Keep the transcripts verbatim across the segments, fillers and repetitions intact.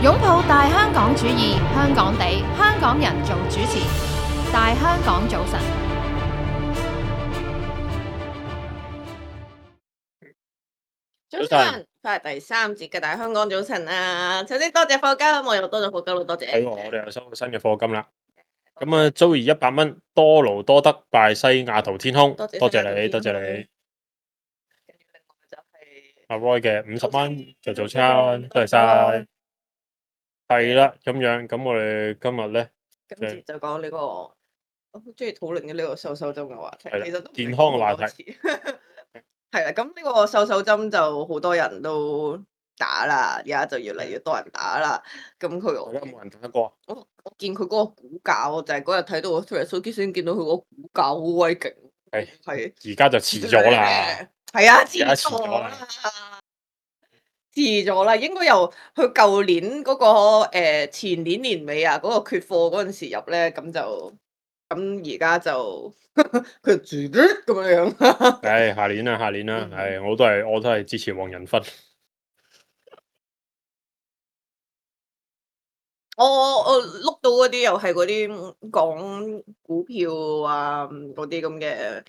擁抱大香港主義，香港地，香港人做主持，大香港早晨。早晨，翻嚟第三節嘅大香港早晨啊！首先多謝課金，我又多咗課金，好多謝。係喎，我哋又收到新嘅課金啦。咁啊，Joey 一百蚊，多勞多得，拜西雅圖天空，多謝多謝你，西雅圖天空多謝你。跟住另外就係阿 Roy 嘅五十蚊就做餐，多謝晒。係啦，咁樣，咁我哋今日咧，今次就講呢個我好中意討論嘅呢個瘦瘦針嘅話題，係啦其實都唔係健康嘅話題講好多次。係啦，咁呢個瘦瘦針就好多人都打啦，而家就越嚟越多人打啦。咁佢而家冇人打得過。我我見佢嗰個股價，我就係嗰日睇到個 Facebook 先見到佢嗰個股價好鬼勁。係係而家就遲咗啦。係啊，遲而家遲咗咗啦啦，遲咗啦，應該由佢舊年嗰、個、呃、前年年尾啊，嗰、個缺貨嗰陣時入咧，咁就咁而家就佢住咁樣樣。唉，下年啦，下年啦，嗯唉，我都係我都係支持黃仁勳。我我碌到嗰啲又係嗰啲講股票啊嗰啲咁嘅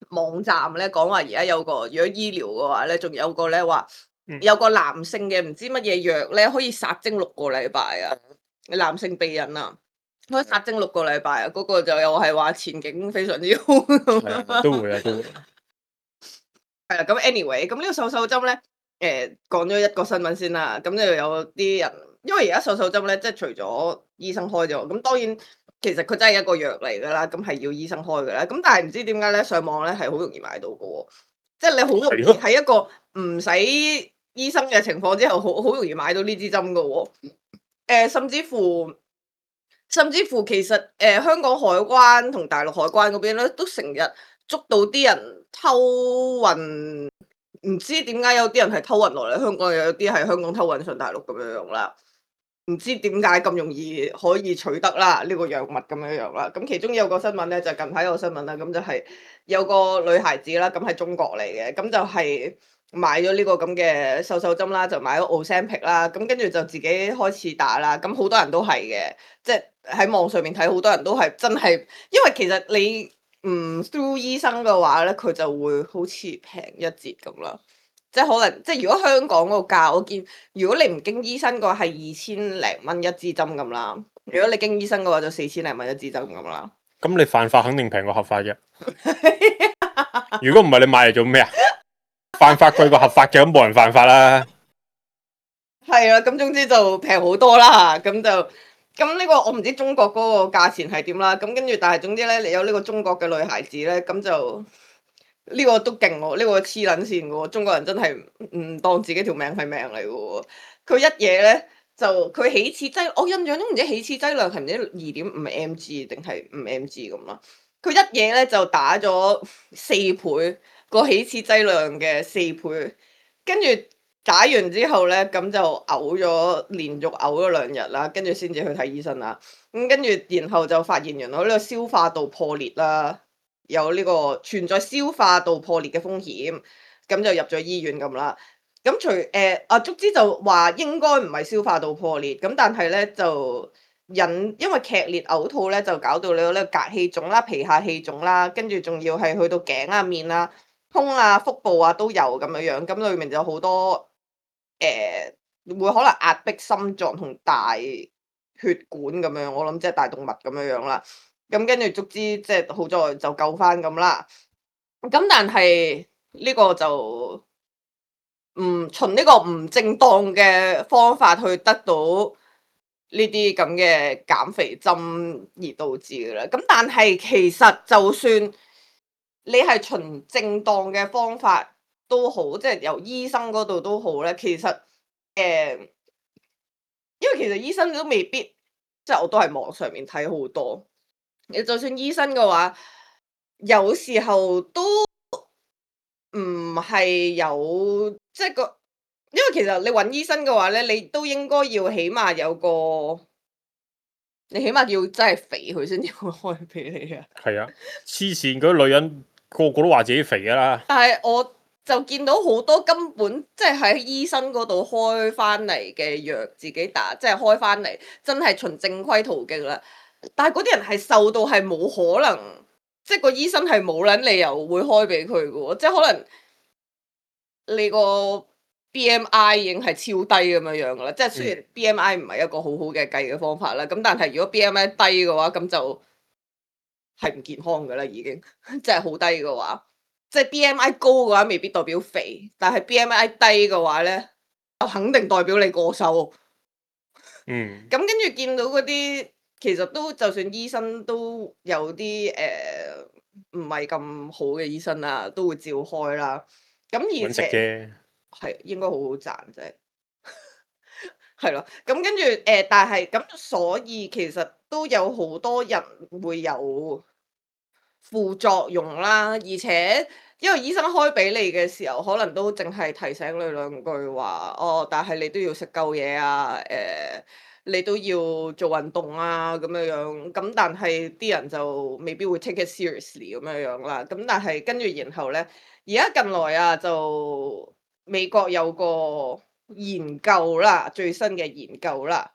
網站咧，講話而家有個如果醫療嘅話咧，仲有個咧話有個男性嘅唔知乜嘢藥咧，可以殺精六個禮拜啊！男性避孕啊，可以殺精六個禮拜啊！嗰、個就又係話前景非常之好。係啊都會啊，都會。係啦，咁 anyway，咁呢個瘦瘦針咧，誒講咗一個新聞先啦，咁就有啲人，因為而家瘦瘦針咧，即係除咗醫生開咗，咁當然其實佢真係一個藥嚟噶啦，咁係要醫生開噶啦，咁但係唔知點解咧，上網咧係好容易買到嘅喎，即係你好容易喺一個唔使醫生嘅情況之下，好好容易買到呢支針嘅喎，誒甚至乎甚至乎其實誒、呃、香港海關同大陸海關嗰邊咧，都成日捉到啲人偷運，唔知點解有啲人係偷運落嚟香港，有啲係香港偷運上大陸咁樣樣啦。唔知點解咁容易可以取得啦？呢個藥物咁樣樣啦。咁其中有個新聞咧，就近排有個新聞啦，咁就係有個女孩子啦，咁係中國嚟嘅，咁就係買咗呢個咁嘅瘦瘦針啦，就買咗 Ozempic 啦，咁跟住就自己開始打啦。咁好多人都係嘅，即係喺網上面睇，好多人都係真係，因為其實你唔 through 醫生嘅話咧，佢就會好似平一截咁啦。即係可能，即係如果香港嗰個價，我見如果你唔經醫生嘅話，係二千零蚊一支針咁啦。如果你經醫生嘅話，就四千零蚊一支針咁啦。咁你犯法肯定平過合法嘅。如果唔係，你買嚟做咩啊？犯法貴過合法嘅，咁冇人犯法啦。係啊，咁總之就平好多啦。咁就咁呢個我唔知中國嗰個價錢係點啦。咁跟住，但係總之咧，你有呢個中國嘅女孩子咧，咁就。呢個都勁喎，呢、這個黐撚線嘅喎，中國人真係唔當自己條命係命嚟嘅喎。佢一嘢咧就佢起始劑，我印象中唔知起始劑量係唔知二點五 mg 定係五 mg 咁啦。佢一嘢咧就打咗四倍個起始劑量嘅四倍，跟住打完之後咧，咁就嘔咗，連續嘔咗兩日啦，跟住先至去睇醫生啦。咁跟住然後就發現原來呢個消化道破裂啦。有呢個存在消化道破裂嘅風險，咁就入咗醫院咁啦。咁除誒啊，足之就話應該唔係消化道破裂，咁但係咧就引因為劇烈嘔吐咧，就搞到你有呢個膈氣腫啦、皮下氣腫啦，跟住仲要係去到頸啊、面啊、胸啊、腹部啊都有咁樣樣，咁裏面就有好多誒、呃、會可能壓迫心臟同大血管咁樣，我諗即係大動脈咁樣樣啦。咁跟住足之即係好在就救翻咁啦。咁但係呢個就唔循呢個唔正當嘅方法去得到呢啲咁嘅減肥針而導致嘅啦。咁但係其實就算你係循正當嘅方法都好，即係由醫生嗰度都好咧。其實誒、呃，因為其實醫生都未必，即係我都係網上面睇好多。你就算醫生嘅話，有時候都唔係有即係個，因為其實你揾醫生嘅話咧，你都應該要起碼有個，你起碼要真係肥佢先至會開俾你啊。係啊，黐線嗰啲女人個個都話自己肥噶啦。但係我就見到好多根本即係喺醫生嗰度開翻嚟嘅藥自己打，即係開翻嚟真係循正規途徑啦。但係嗰啲人係瘦到係冇可能，即係個醫生係冇撚理由會開俾佢嘅喎，即係可能你個 B M I 已經係超低咁樣樣噶啦。即係雖然 B M I 唔係一個好好嘅計嘅方法啦，咁但係如果 B M I 低嘅話，咁就係唔健康噶啦，已經即係好低嘅話。即係 B M I 高嘅話，未必代表肥，但係 B M I 低嘅話咧，就肯定代表你過瘦。嗯。咁跟住見到嗰啲，其實都就算醫生都有啲誒唔係咁好嘅醫生啊，都會照開啦。咁而揾食且啫，係應該好好賺啫，係咯。咁跟住誒，但係咁所以其實都有好多人會有副作用啦，而且因為醫生開俾你嘅時候，可能都淨係提醒你兩句話，哦，但係你都要食夠嘢啊，誒、你都要做運動啊，咁樣樣，咁但係啲人就未必會 take it seriously 咁樣樣啦。咁但係跟住然後咧，而家近來啊，就美國有個研究啦，最新嘅研究啦，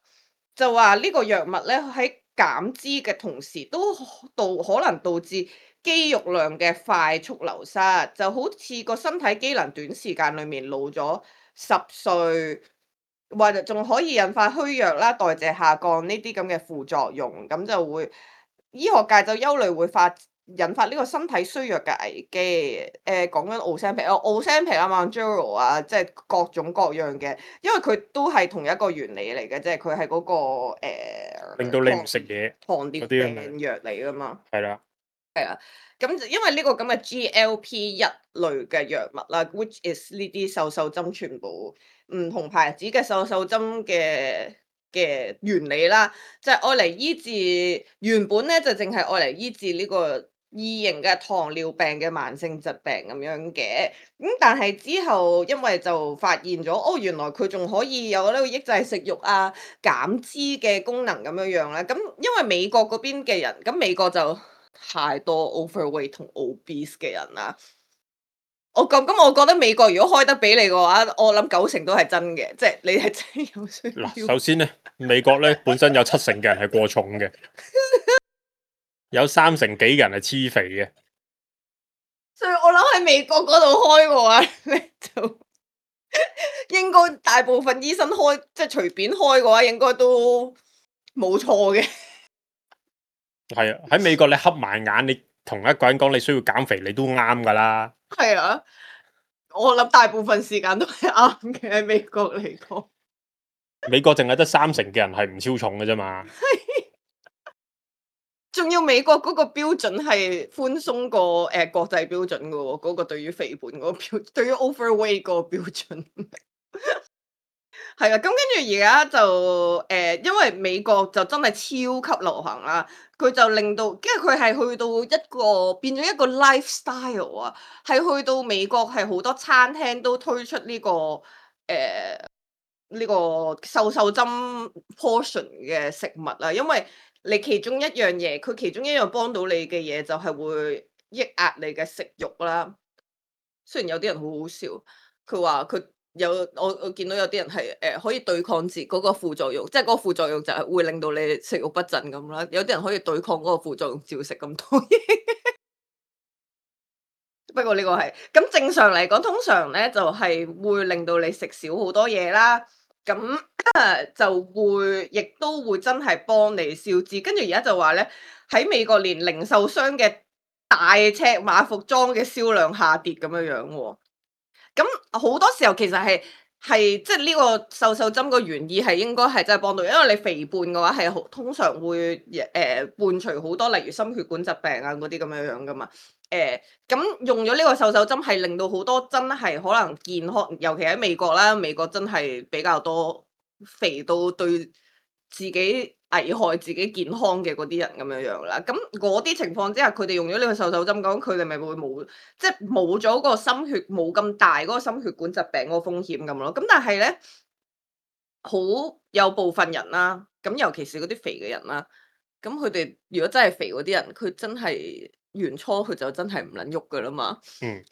就話呢個藥物咧喺減脂嘅同時，都導可能導致肌肉量嘅快速流失，就好似個身體機能短時間裡面老咗十歲，或者仲可以引發虛弱啦、代謝下降呢啲咁嘅副作用，咁就會醫學界就憂慮會發引發呢個身體衰弱嘅危機。誒講緊 Ozempic 哦，Ozempic 啊、Mounjaro 啊，即係各種各樣嘅，因為佢都係同一個原理嚟嘅，即係佢係嗰個誒、令到你唔食嘢糖尿嗰啲咁樣病藥嚟噶嘛。係啦。咁就因為呢個咁嘅 G L P 一類嘅藥物啦，which is 呢啲瘦瘦針全部唔同牌子嘅瘦瘦針嘅嘅原理啦，就係愛嚟醫治原本咧就淨係愛嚟醫治呢個二型嘅糖尿病嘅慢性疾病咁樣嘅。咁但係之後因為就發現咗，哦原來佢仲可以有呢個抑制食慾啊、減脂嘅功能咁樣樣咧。咁因為美國嗰邊嘅人，咁美國就太多 overweight 同 obese 嘅人啦。我咁咁，我覺得美國如果開得俾你嘅話，我諗九成都係真嘅，即係你係真係有需嗱，要。首先咧，美國咧本身有七成嘅人係過重嘅，有三成幾嘅人係黐肥嘅。所以我諗喺美國嗰度開嘅話，你就應該大部分醫生開，即係隨便開嘅話，應該都冇錯嘅。係啊，喺美國你瞌埋眼，你同一個人講你需要減肥，你都啱噶啦。係啊，我諗大部分時間都係啱嘅喺美國嚟講。美國淨係得三成嘅人係唔超重嘅啫嘛。仲要美國嗰個標準係寬鬆過誒、呃、國際標準嘅喎，嗰、個對於肥胖嗰個標，對於 overweight 嗰個標準。係啊，咁跟住而家就誒、呃，因為美國就真係超級流行啦，佢就令到，因為佢係去到一個變咗一個 lifestyle 啊，係去到美國係好多餐廳都推出呢、個誒呢、個瘦瘦針 portion 嘅食物啊，因為你其中一樣嘢，佢其中一樣幫到你嘅嘢就係會抑壓你嘅食慾啦。雖然有啲人好好笑，佢話佢有我我見到有啲人係誒、呃可以對抗自嗰個副作用，即係嗰個副作用就係會令到你食慾不振咁啦。有啲人可以對抗嗰個副作用，照食咁多嘢。不過呢個係咁正常嚟講，通常咧就係、會令到你食少好多嘢啦。咁就會亦都會真係幫你消脂。跟住而家就話咧，喺美國連零售商嘅大尺碼服裝嘅銷量下跌咁樣樣喎。咁好多時候其實係係即係呢個瘦瘦針個原意係應該係真係幫到，因為你肥胖嘅話係好通常會誒、呃伴隨好多例如心血管疾病啊嗰啲咁樣樣噶嘛。誒咁、用咗呢個瘦瘦針係令到好多真係可能健康，尤其喺美國啦，美國真係比較多肥到對自己危害自己健康嘅嗰啲人咁樣樣啦。咁嗰啲情況之下，佢哋用咗呢個瘦瘦針，咁佢哋咪會冇即係冇咗個心血冇咁大嗰個心血管疾病嗰個風險咁咯。咁但係咧，好有部分人啦，咁尤其是嗰啲肥嘅人啦，咁佢哋如果真係肥嗰啲人，佢真係原初佢就真係唔撚喐噶啦嘛。嗯，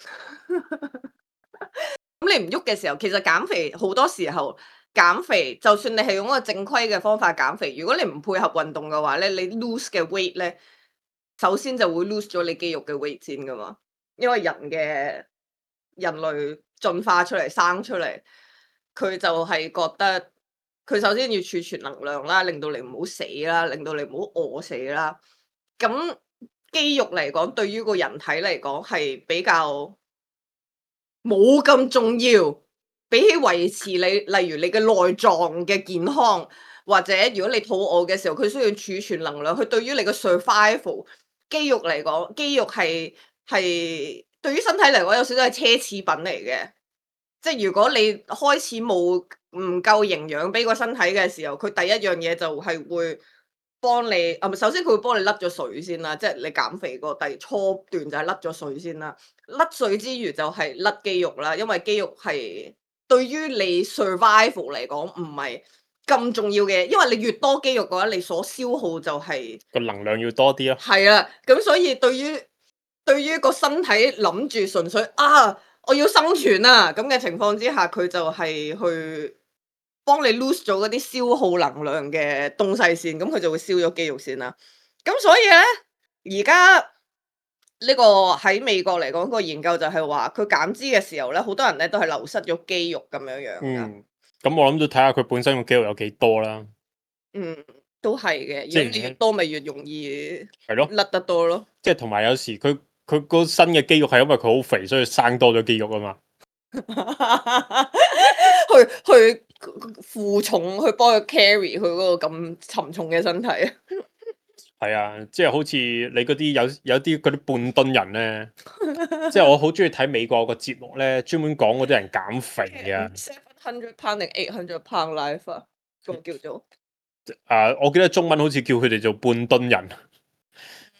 咁你唔喐嘅時候，其實減肥好多時候減肥，就算你係用一個正規嘅方法減肥，如果你唔配合運動嘅話咧，你 lose 嘅 weight 咧，首先就會 lose 咗你肌肉嘅 weight 先噶嘛。因為人嘅人類進化出嚟生出嚟，佢就係覺得佢首先要儲存能量啦，令到你唔好死啦，令到你唔好餓死啦。咁肌肉嚟講，對於個人體嚟講係比較冇咁重要，比起維持你，例如你嘅內臟嘅健康，或者如果你肚餓嘅時候，佢需要儲存能量。佢對於你嘅 survival，肌肉嚟講，肌肉係係對於身體嚟講有少少係奢侈品嚟嘅。即係如果你開始冇唔夠營養俾個身體嘅時候，佢第一樣嘢就係會幫你，啊唔係，首先佢會幫你甩咗水先啦，即係你減肥個第初段就係甩咗水先啦。甩水之餘就係甩肌肉啦，因為肌肉係對於你 survival 嚟講唔係咁重要嘅，因為你越多肌肉嘅話，你所消耗就係個能量要多啲咯。係啦，咁所以對於對於個身體諗住純粹啊，我要生存啊咁嘅情況之下，佢就係去幫你 lose 咗嗰啲消耗能量嘅東西先，咁佢就會燒咗肌肉先啦。咁所以咧，而家呢個喺美國嚟講，個研究就係話，佢減脂嘅時候咧，好多人咧都係流失咗肌肉咁樣樣噶。嗯，咁我諗都睇下佢本身個肌肉有幾多啦。嗯，都係嘅，即係如果你越多，咪越容易係咯，甩得多咯。即係同埋有時佢佢個新嘅肌肉係因為佢好肥，所以生多咗肌肉啊嘛。去去負重，去幫佢 carry 佢嗰個咁沉重嘅身體啊！係啊，即係好似你嗰啲有有啲嗰啲半噸人咧，即係我好中意睇美國個節目咧，專門講嗰啲人減肥啊。seven hundred pound 定 eight hundred pound life 啊，個叫做啊，我記得中文好似叫佢哋做半噸人，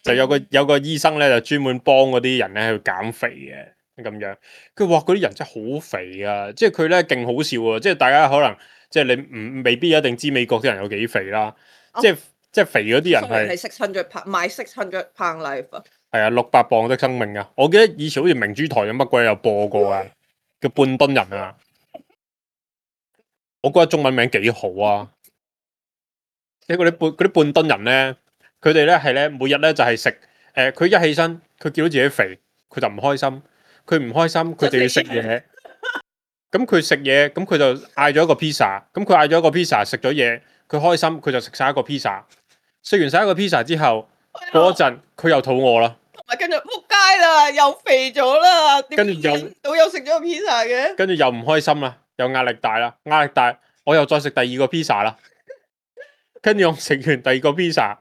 就有個有個醫生咧就專門幫嗰啲人咧去減肥嘅咁樣。佢話嗰啲人真係好肥啊，即係佢咧勁好笑啊！即係大家可能即係你唔未必一定知美國啲人有幾肥啦，哦即係即係肥嗰啲人係係 six hundred pound 買 six hundred pound life 啊，係啊，六百磅的生命啊！我記得以前好似明珠台有乜鬼有播過啊，叫半噸人啊。我覺得中文名幾好啊！即係嗰啲半嗰啲半噸人咧，佢哋咧係咧每日咧就係食誒，佢一起身佢見到自己肥，佢就唔開心，佢唔開心佢就要食嘢。咁佢食嘢，咁佢就嗌咗一個 pizza，咁佢嗌咗一個 pizza 食咗嘢，佢開心佢就食晒一個 pizza，食完晒一個 pizza 之後，過一陣佢又肚餓啦，同埋跟住仆街啦，又肥咗啦，跟住又到又食咗個 pizza 嘅，跟住又唔開心啦，又壓力大啦，壓力大，我又再食第二個 pizza 啦，跟住我食完第二個 pizza，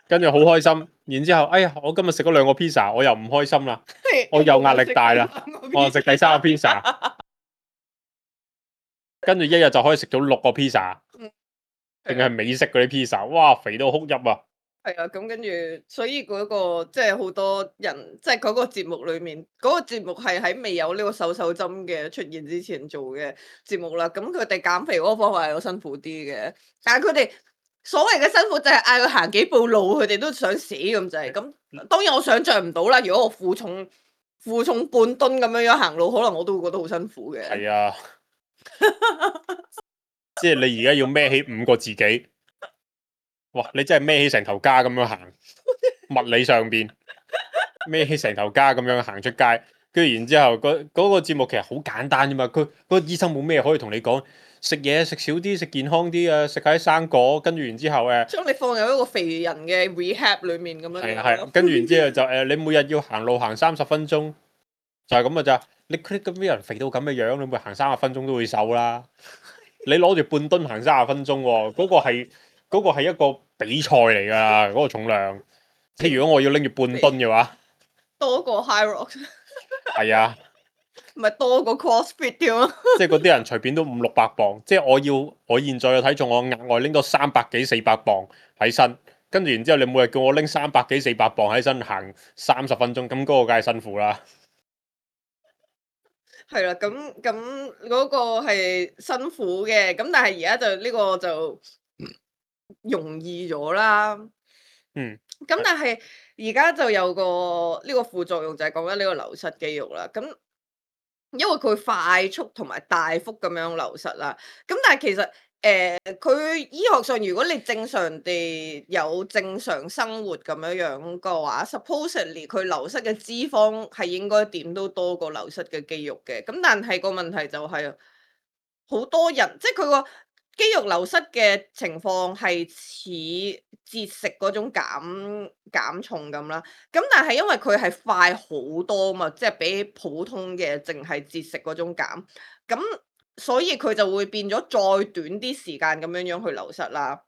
跟住好開心，然之後哎呀，我今日食咗兩個 pizza，我又唔開心啦，我又壓力大啦，我又食第三個 pizza，跟住一日就可以食到六個 pizza，定係美式嗰啲 pizza，哇，肥到哭泣啊！係啊，咁跟住，所以嗰、個即係好多人，即係嗰個節目裏面，嗰、個節目係喺未有呢個瘦瘦針嘅出現之前做嘅節目啦。咁佢哋減肥嗰個方法係好辛苦啲嘅，但係佢哋所謂嘅辛苦就係嗌佢行幾步路，佢哋都想死咁滯。咁當然我想象唔到啦，如果我負重負重半噸咁樣樣行路，可能我都會覺得好辛苦嘅。係啊，即係你而家要孭起五個自己。哇！你真係孭起成頭家咁樣行，物理上邊孭起成頭家咁樣行出街，跟住然之後嗰嗰個節目其實好簡單啫嘛。佢嗰個醫生冇咩可以同你講，食嘢食少啲，食健康啲啊，食下啲生果，跟住然之後誒，將你放入一個肥人嘅 rehab 裏面咁樣。係啊係，跟住然之後就誒，你每日要行路行三十分鐘，就係咁嘅咋。你佢咁啲人肥到咁嘅樣，你每行三十分鐘都會瘦啦。你攞住半噸行三十分鐘喎，嗰個係。嗰個係一個比賽嚟㗎，嗰個重量。即係如果我要拎住半噸嘅話，多過 High Rock。係啊，唔係多過 CrossFit 添啊！即係嗰啲人隨便都五六百磅。即係我要我現在嘅體重，我額外拎多三百幾四百磅喺身，跟住然之後你每日叫我拎三百幾四百磅喺身行三十分鐘，咁嗰個梗係辛苦啦。係啦，咁咁嗰個係辛苦嘅，咁但係而家就呢個就容易咗啦。嗯。咁但係而家就有個呢個副作用就係講緊呢個流失肌肉啦。咁因為佢快速同埋大幅咁樣流失啦。咁但係其實誒，佢、醫學上如果你正常地有正常生活咁樣樣嘅話，supposedly 佢流失嘅脂肪係應該點都多過流失嘅肌肉嘅。咁但係個問題就係、好多人即係佢個肌肉流失嘅情況係似節食嗰種減減重咁啦。咁但係因為佢係快好多嘛，即係比普通嘅淨係節食嗰種減，咁所以佢就會變咗再短啲時間咁樣樣去流失啦。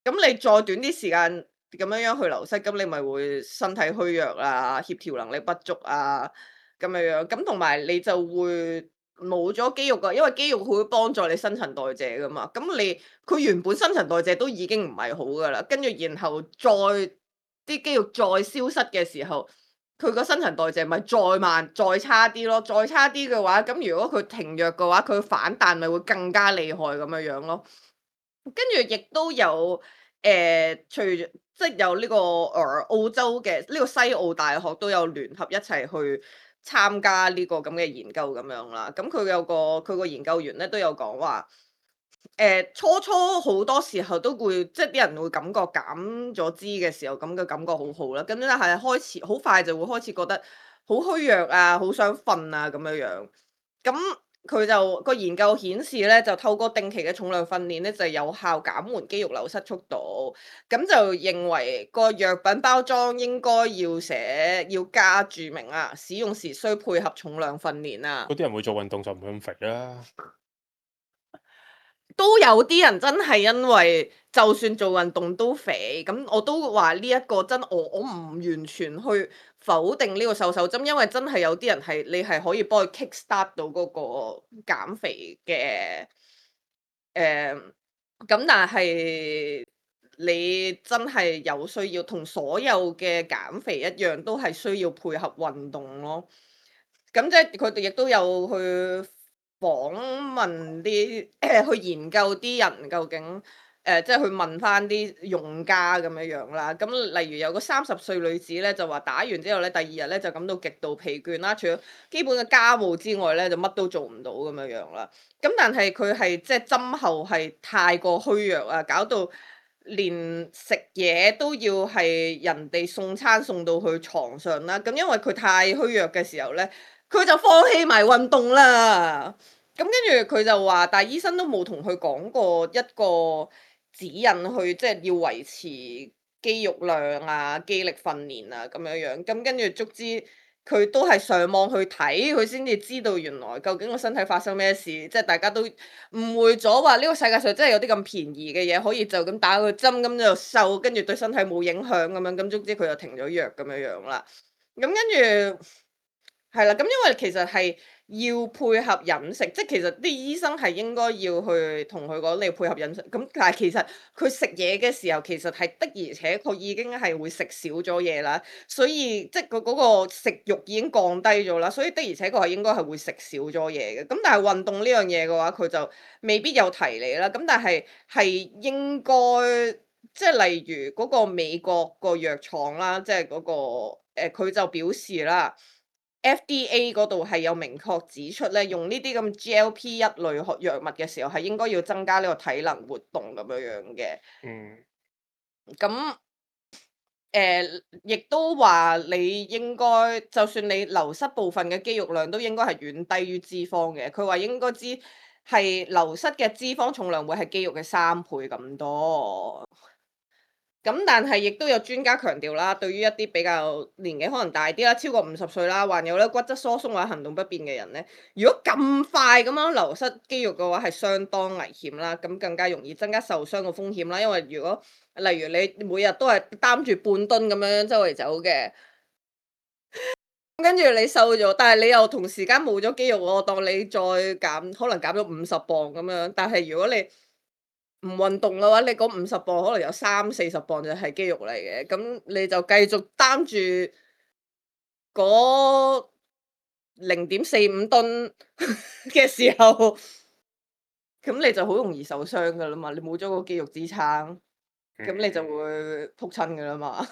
咁你再短啲時間咁樣樣去流失，咁你咪會身體虛弱啊、協調能力不足啊咁樣樣。咁同埋你就會冇咗肌肉噶，因為肌肉會幫助你新陳代謝噶嘛。咁你佢原本新陳代謝都已經唔係好噶啦，跟住然後再啲肌肉再消失嘅時候，佢個新陳代謝咪再慢再差啲咯。再差啲嘅話，咁如果佢停藥嘅話，佢反彈咪會更加厲害咁樣樣咯。跟住亦都有誒、呃，除即係有呢、這個誒、呃、澳洲嘅呢、這個西澳大學都有聯合一齊去參加呢個咁嘅研究咁樣啦。咁佢有個佢個研究員咧都有講話，誒、呃、初初好多時候都會即係啲人會感覺減咗脂嘅時候咁嘅感覺好好啦，咁咧係開始好快就會開始覺得好虛弱啊，好想瞓啊咁樣樣。咁佢就個研究顯示咧，就透過定期嘅重量訓練咧，就有效減緩肌肉流失速度。咁就認為個藥品包裝應該要寫要加注明啊，使用時需配合重量訓練啊。嗰啲人會做運動就唔會咁肥啦。都有啲人真係因為就算做運動都肥，咁我都話呢一個真我我唔完全去否定呢個瘦手針，因為真係有啲人係你係可以幫佢 kick start 到嗰個減肥嘅誒，咁、但係你真係有需要同所有嘅減肥一樣，都係需要配合運動咯。咁即係佢哋亦都有去訪問啲去研究啲人究竟誒、呃，即係去問翻啲用家咁樣樣啦。咁例如有個三十歲女子咧，就話打完之後咧，第二日咧就感到極度疲倦啦，除咗基本嘅家務之外咧，就乜都做唔到咁樣樣啦。咁但係佢係即係針後係太過虛弱啊，搞到連食嘢都要係人哋送餐送到去床上啦。咁因為佢太虛弱嘅時候咧，佢就放棄埋運動啦。咁跟住佢就話，但係醫生都冇同佢講過一個指引去，即係要維持肌肉量啊、肌力訓練啊咁樣樣。咁跟住足之佢都係上網去睇，佢先至知道原來究竟個身體發生咩事。即係大家都誤會咗話呢個世界上真係有啲咁便宜嘅嘢，可以就咁打個針咁就瘦，跟住對身體冇影響咁樣。咁足之佢就停咗藥咁樣樣啦。咁跟住。係啦，咁因為其實係要配合飲食，即係其實啲醫生係應該要去同佢講你配合飲食。咁但係其實佢食嘢嘅時候，其實係的而且確已經係會食少咗嘢啦，所以即係佢嗰個食慾已經降低咗啦，所以的而且確係應該係會食少咗嘢嘅。咁但係運動呢樣嘢嘅話，佢就未必有提你啦。咁但係係應該即係例如嗰個美國個藥廠啦，即係嗰個誒佢就表示啦。F D A 嗰度係有明確指出咧，用呢啲咁 G L P 一類學藥物嘅時候，係應該要增加呢個體能活動咁樣樣嘅。嗯。咁誒，亦都話你應該，就算你流失部分嘅肌肉量，都應該係遠低於脂肪嘅。佢話應該知係流失嘅脂肪重量會係肌肉嘅三倍咁多。咁但係亦都有專家強調啦，對於一啲比較年紀可能大啲啦，超過五十歲啦，患有咧骨質疏鬆或者行動不便嘅人咧，如果咁快咁樣流失肌肉嘅話，係相當危險啦，咁更加容易增加受傷嘅風險啦。因為如果例如你每日都係擔住半噸咁樣周圍走嘅，跟住你瘦咗，但係你又同時間冇咗肌肉，我當你再減，可能減咗五十磅咁樣，但係如果你唔運動嘅話，你嗰五十磅可能有三四十磅就係肌肉嚟嘅，咁你就繼續擔住嗰零點四五噸嘅時候，咁你就好容易受傷噶啦嘛，你冇咗個肌肉支撐，咁你就會仆親噶啦嘛。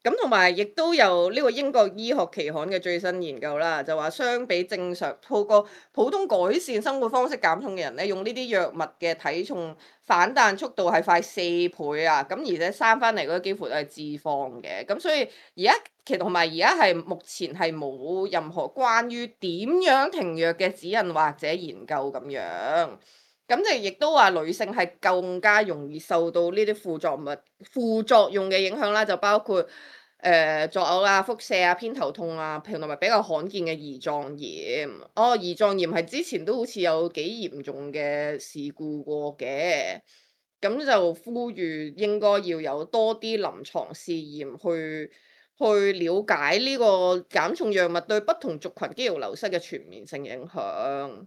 咁同埋亦都有呢個英國醫學期刊嘅最新研究啦，就話相比正常透過普通改善生活方式減重嘅人咧，用呢啲藥物嘅體重反彈速度係快四倍啊！咁而且生翻嚟嗰啲幾乎都係脂肪嘅，咁所以而家其實同埋而家係目前係冇任何關於點樣停藥嘅指引或者研究咁樣。咁就亦都話女性係更加容易受到呢啲副作物副作用嘅影響啦，就包括誒、呃、作嘔啊、腹瀉啊、偏頭痛啊，同埋比較罕見嘅胰臟炎。哦，胰臟炎係之前都好似有幾嚴重嘅事故過嘅，咁就呼籲應該要有多啲臨床試驗去去了解呢個減重藥物對不同族群肌肉流失嘅全面性影響。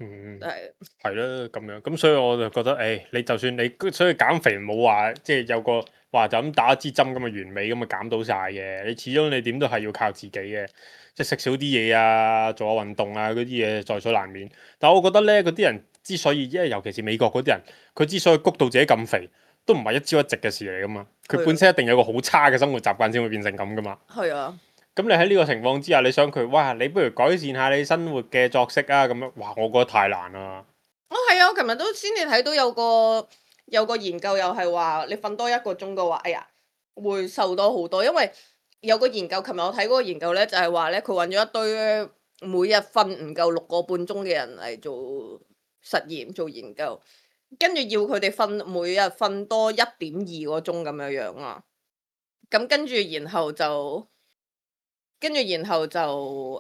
嗯，係係咯咁樣，咁所以我就覺得，誒、你就算你所以減肥冇話，即係有個話就咁打一支針咁嘅完美咁啊減到晒嘅，你始終你點都係要靠自己嘅，即係食少啲嘢啊，做下運動啊嗰啲嘢在所難免。但係我覺得咧，嗰啲人之所以，因為尤其是美國嗰啲人，佢之所以谷到自己咁肥，都唔係一朝一夕嘅事嚟噶嘛，佢係啊本身一定有個好差嘅生活習慣先會變成咁噶嘛。係啊。咁你喺呢個情況之下，你想佢，哇！你不如改善下你生活嘅作息啊，咁樣，哇！我覺得太難啦。哦，係啊，我琴日都先至睇到有個有個研究，又係話你瞓多一個鐘嘅話，哎呀，會瘦多好多。因為有個研究，琴日我睇嗰個研究咧，就係話咧，佢揾咗一堆每日瞓唔夠六個半鐘嘅人嚟做實驗做研究，跟住要佢哋瞓每日瞓多一點二個鐘咁樣樣啊。咁跟住然後就。跟住然後就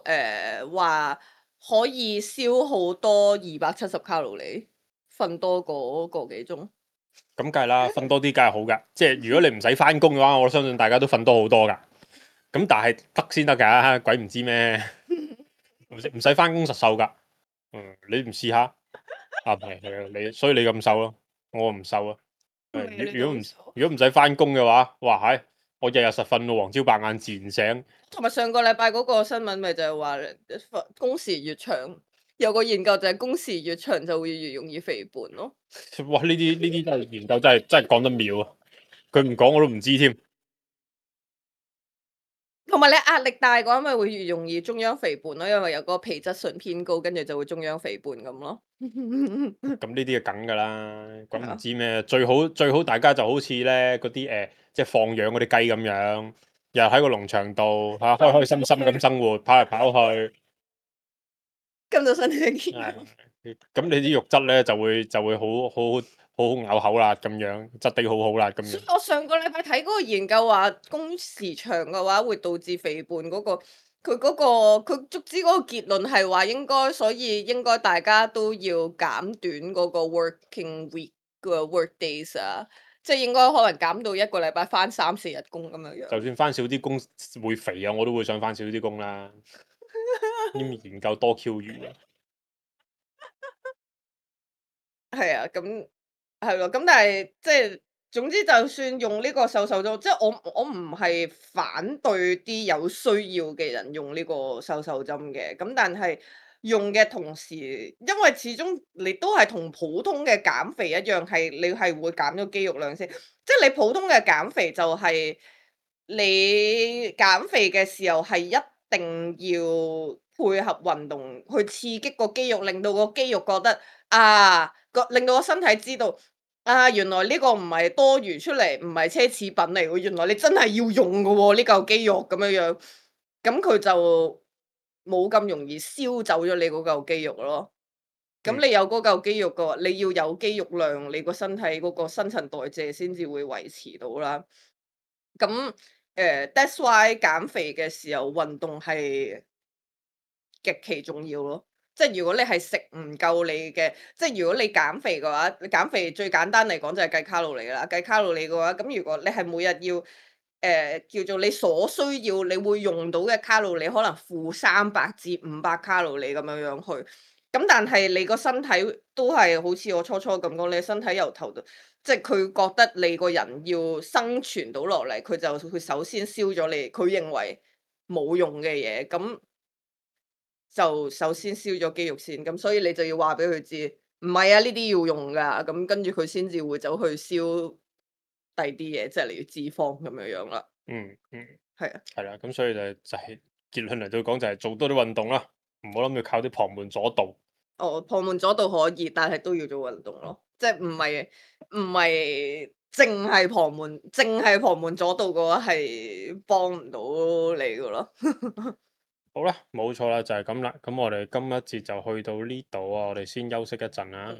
誒話、呃、可以消耗多二百七十卡路里，瞓多個個幾鐘。咁梗係啦，瞓多啲梗係好噶。即係如果你唔使翻工嘅話，我相信大家都瞓多好多噶。咁但係得先得㗎，鬼唔知咩？唔使唔使翻工實瘦噶。嗯，你唔試下啊？係係啊，你所以你咁瘦咯，我唔瘦啊。誒，如如果唔如果唔使翻工嘅話，哇係，我日日實瞓到黃朝白晏自然醒。同埋上個禮拜嗰個新聞咪就係話工時越長，有個研究就係工時越長就會越容易肥胖咯。哇！呢啲呢啲真係研究真係真係講得妙啊！佢唔講我都唔知添。同埋你壓力大嘅話，咪會越容易中央肥胖咯，因為有個皮質醇偏高，跟住就會中央肥胖咁咯。咁呢啲係梗㗎啦，咁唔知咩？最好最好大家就好似咧嗰啲誒，即係放養嗰啲雞咁樣，又喺個農場度嚇、啊、開開心心咁生活，跑嚟跑去。咁就身體健康。咁你啲肉質咧就會就會好好好好咬口啦，咁樣質地好好啦，咁樣。我上個禮拜睇嗰個研究話，工時長嘅話會導致肥胖嗰、個，佢嗰、個佢足之嗰個結論係話應該，所以應該大家都要減短嗰個 working week 個 work days 啊，即係應該可能減到一個禮拜翻三四日工咁樣樣。就算翻少啲工會肥啊，我都會想翻少啲工啦。啲研究多 Q 餘啊！係啊，咁係咯，咁但係即係總之，就算用呢個瘦瘦針，即係我我唔係反對啲有需要嘅人用呢個瘦瘦針嘅，咁但係用嘅同時，因為始終你都係同普通嘅減肥一樣，係你係會減咗肌肉量先，即係你普通嘅減肥就係你減肥嘅時候係一定要配合運動去刺激個肌肉，令到個肌肉覺得啊。個令到個身體知道啊，原來呢個唔係多餘出嚟，唔係奢侈品嚟喎，原來你真係要用嘅喎，呢嚿肌肉咁樣樣，咁佢就冇咁容易燒走咗你嗰嚿肌肉咯。咁你有嗰嚿肌肉嘅話，你要有肌肉量，你個身體嗰個新陳代謝先至會維持到啦。咁誒、呃、that's why 減肥嘅時候運動係極其重要咯。即係如果你係食唔夠你嘅，即係如果你減肥嘅話，你減肥最簡單嚟講就係計卡路里啦。計卡路里嘅話，咁如果你係每日要誒、呃、叫做你所需要你會用到嘅卡路里，可能負三百至五百卡路里咁樣樣去。咁但係你個身體都係好似我初初咁講，你身體由頭到，即係佢覺得你個人要生存到落嚟，佢就佢首先燒咗你，佢認為冇用嘅嘢咁。就首先燒咗肌肉先，咁所以你就要話俾佢知，唔係啊，呢啲要用噶，咁跟住佢先至會走去燒第啲嘢，即係例如脂肪咁樣樣啦。嗯嗯，係啊，係啦，咁所以就就係結論嚟到講就係做多啲運動啦，唔好諗住靠啲旁門左道。哦，旁門左道可以，但係都要做運動咯，即係唔係唔係淨係旁門，淨係旁門左道嘅話係幫唔到你嘅咯。好啦，冇錯啦，就係咁啦。咁我哋今一節就去到呢度啊，我哋先休息一陣啦。